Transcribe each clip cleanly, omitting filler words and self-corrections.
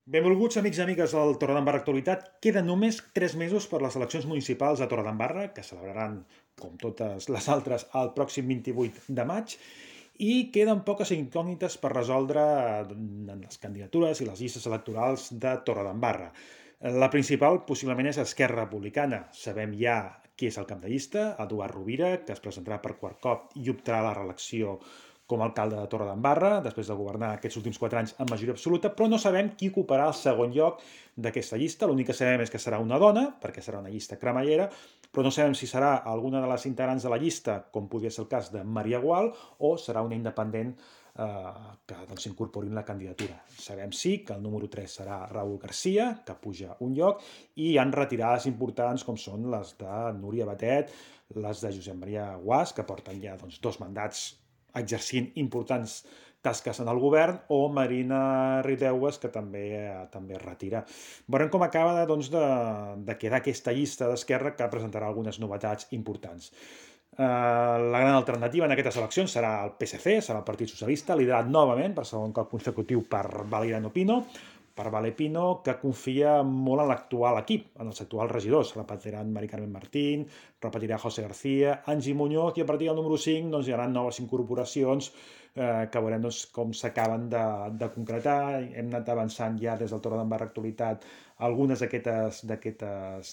Benvolguts amics i amigues del Torredembarra Actualitat. Queden només 3 mesos per les eleccions municipals a Torredembarra, que celebraran, com totes les altres, el pròxim 28 de maig, i queden poques incògnites per resoldre en les candidatures i les llistes electorals de Torredembarra. La principal possiblement és Esquerra Republicana. Sabem ja qui és el cap de llista, Eduard Rovira, que es presentarà per quart cop i optarà a la reelecció com a alcalde de Torredembarra, després de governar aquests últims 4 anys amb majoria absoluta, però no sabem qui ocuparà el segon lloc d'aquesta llista. L'únic que sabem és que serà una dona, perquè serà una llista cremallera, però no sabem si serà alguna de les integrants de la llista, com podria ser el cas de Maria Gual, o serà una independent que s'incorpori en la candidatura. Sabem sí que el número 3 serà Raúl Garcia, que puja un lloc, i hi han retirades importants com són les de Núria Batet, les de Josep Maria Guas, que porten ja 2 mandats exercint importants tasques en el govern, o Marina Rideues, que també es retira. Veurem com acaba de quedar aquesta llista d'Esquerra, que presentarà algunes novetats importants. La gran alternativa en aquestes eleccions serà el PSC, serà el Partit Socialista, liderat novament per segon cop consecutiu per Valeriano Pino, per Valepino, que confia molt en l'actual equip, en els actuals regidors. Repetiran Mari Carmen Martín, repetirà José García, Angie Muñoz, i a partir del número 5 hi haurà noves incorporacions que veurem com s'acaben de concretar. Hem anat avançant ja des del Torredembarra Actualitat algunes d'aquests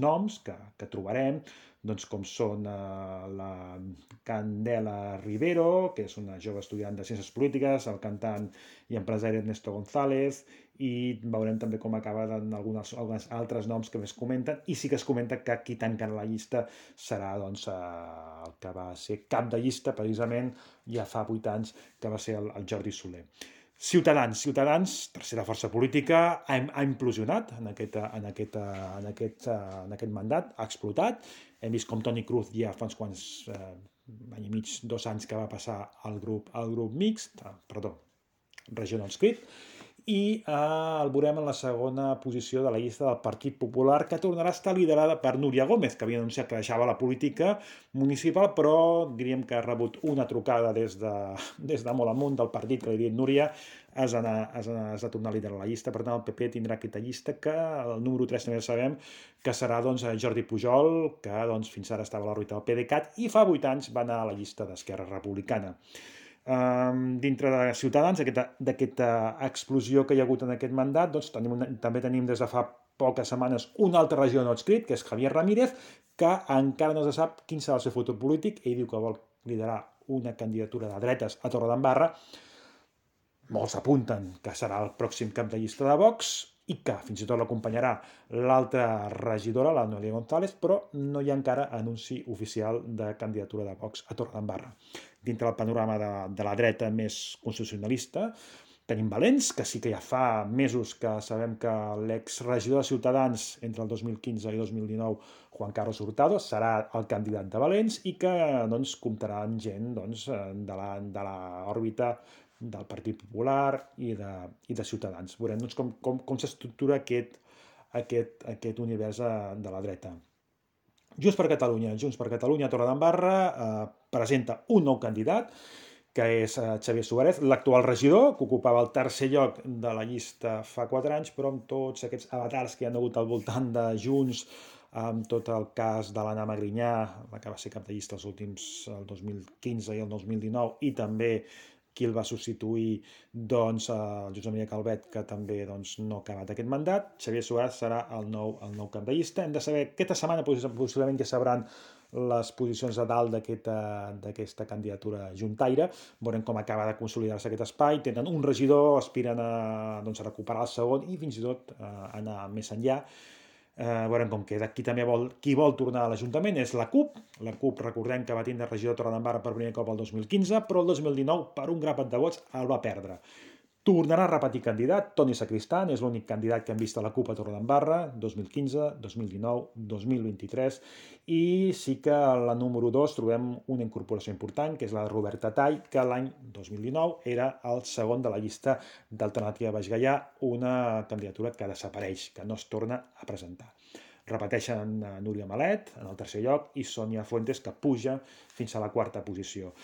noms que trobarem, com són la Candela Rivero, que és una jove estudiant de Ciències Polítiques, el cantant i empresari Ernesto González, i veurem també com acaben alguns altres noms que més comenten, i sí que es comenta que qui tanca la llista serà el que va ser cap de llista precisament ja fa 8 anys, que va ser el Jordi Soler. Ciutadans, tercera força política, ha implosionat en aquest mandat, ha explotat. Hem vist com Toni Cruz ja fa uns quants any i mig, 2 anys que va passar al grup mixt, regió no inscrit, i el veurem en la segona posició de la llista del Partit Popular, que tornarà a estar liderada per Núria Gómez, que havia anunciat que deixava la política municipal, però diríem que ha rebut una trucada des de molt amunt del partit, que li diuen Núria, has de tornar a liderar la llista. Per tant, el PP tindrà aquesta llista, que el número 3 també sabem que serà Jordi Pujol, que fins ara estava a l'òrbita del PDeCAT i fa 8 anys va anar a la llista d'Esquerra Republicana. Dintre de Ciutadans, d'aquesta explosió que hi ha hagut en aquest mandat, també tenim des de fa poques setmanes un altre regidor no adscrit, que és Javier Ramírez, que encara no se sap quin serà el seu futur polític. Ell diu que vol liderar una candidatura de dretes a Torredembarra. Molts apunten que serà el pròxim cap de llista de Vox, i que fins i tot l'acompanyarà l'altra regidora, la Noelia González, però no hi ha encara anunci oficial de candidatura de Vox a Torredembarra. Dintre del panorama de la dreta més constitucionalista, tenim Valens, que sí que ja fa mesos que sabem que l'exregidor de Ciutadans entre el 2015 i 2019, Juan Carlos Hurtado, serà el candidat de Valens, i que comptarà amb gent de l'òrbita del Partit Popular i de Ciutadans. Veurem com s'estructura aquest univers de la dreta. Junts per Catalunya, Torredembarra, presenta un nou candidat, que és Xavier Suárez, l'actual regidor, que ocupava el tercer lloc de la llista fa 4 anys, però amb tots aquests avatars que hi ha hagut al voltant de Junts, amb tot el cas de l'Anna Magrinyà, la que va ser cap de llista els últims, el 2015 i el 2019, i també qui el va substituir, el Josep Maria Calvet, que també no ha acabat aquest mandat. Xavier Suárez serà el nou cap de llista. Hem de saber, aquesta setmana possiblement ja sabran les posicions de dalt d'aquesta candidatura juntaire. Veurem com acaba de consolidar-se aquest espai. Tenen un regidor, aspiren a recuperar el segon i fins i tot anar més enllà. Veurem com queda. Qui vol tornar a l'Ajuntament és la CUP. La CUP, recordem que va tindre regidor de Torredembarra per primer cop el 2015, però el 2019, per un grapat de vots, el va perdre. Tornarà a repetir candidat. Toni Sacristán és l'únic candidat que hem vist a la CUP a Torredembarra, 2015, 2019, 2023, i sí que a la número 2 trobem una incorporació important, que és la de Roberta Tall, que l'any 2019 era el segon de la llista d'Alternativa Baix Gaià, una candidatura que desapareix, que no es torna a presentar. Repeteixen Núria Malet en el tercer lloc i Sònia Fuentes, que puja fins a la quarta posició.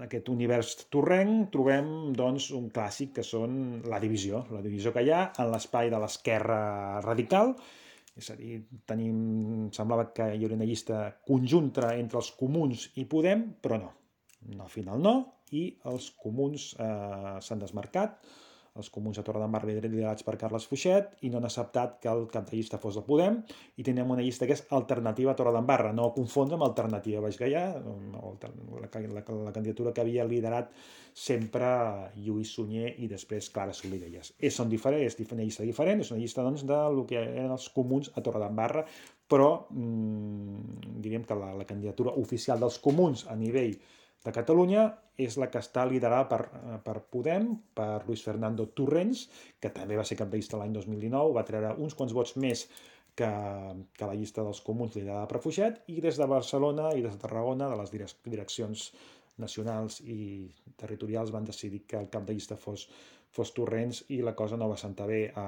aquest univers torrenc trobem doncs, un clàssic que són la divisió que hi ha en l'espai de l'esquerra radical, és a dir, semblava que hi hauria una llista conjunta entre els comuns i Podem, però no, al final no, i els comuns s'han desmarcat, els comuns a Torredembarra liderats per Carles Fuixet, i no han acceptat que el cap de llista fos el Podem, i tenim una llista que és alternativa a Torredembarra, no confondre amb alternativa Baix Gaià, la candidatura que havia liderat sempre Lluís Sunyer i després Clara Solivelles. Són diferents, és una llista diferent, és una llista doncs, del que eren els comuns a Torredembarra, però diríem que la candidatura oficial dels comuns a nivell de Catalunya és la que està liderada per Podem, per Luis Fernando Torrents, que també va ser cap de llista l'any 2019, va treure uns quants vots més que la llista dels comuns liderada per Fuixet, i des de Barcelona i des de Tarragona, de les direccions nacionals i territorials, van decidir que el cap de llista fos Torrents, i la cosa no va sentar bé a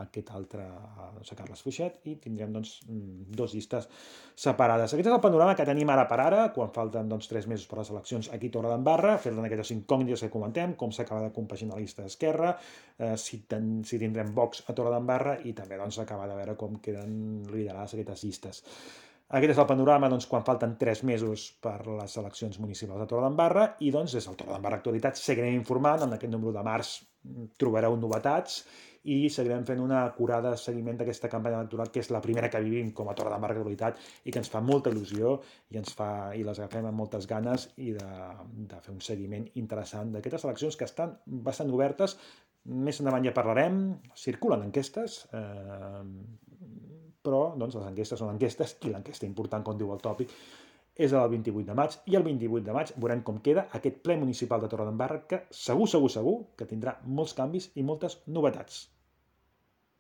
aquest altre, a Carles Fuixet, i tindrem doncs, dos llistes separades. Aquest és el panorama que tenim ara per ara, quan falten 3 mesos per les eleccions aquí a Torredembarra, fer-ne aquestes incògnites que comentem, com s'acaba de compaginar la llista d'Esquerra, si tindrem Vox a Torredembarra, i també acabar de veure com queden liderades aquestes llistes. Aquest és el panorama quan falten 3 mesos per les eleccions municipals de Torredembarra, i des del Torredembarra Actualitat seguirem informant. En aquest número de març trobareu novetats i seguirem fent una acurada seguiment d'aquesta campanya electoral, que és la primera que vivim com a Torredembarra Actualitat i que ens fa molta il·lusió i les agafem amb moltes ganes, i de fer un seguiment interessant d'aquestes eleccions que estan bastant obertes. Més endavant ja parlarem, circulen enquestes, però les enquestes són enquestes, i l'enquesta important, com diu el tòpic, és el 28 de maig, i el 28 de maig veurem com queda aquest ple municipal de Torredembarra, que segur que tindrà molts canvis i moltes novetats.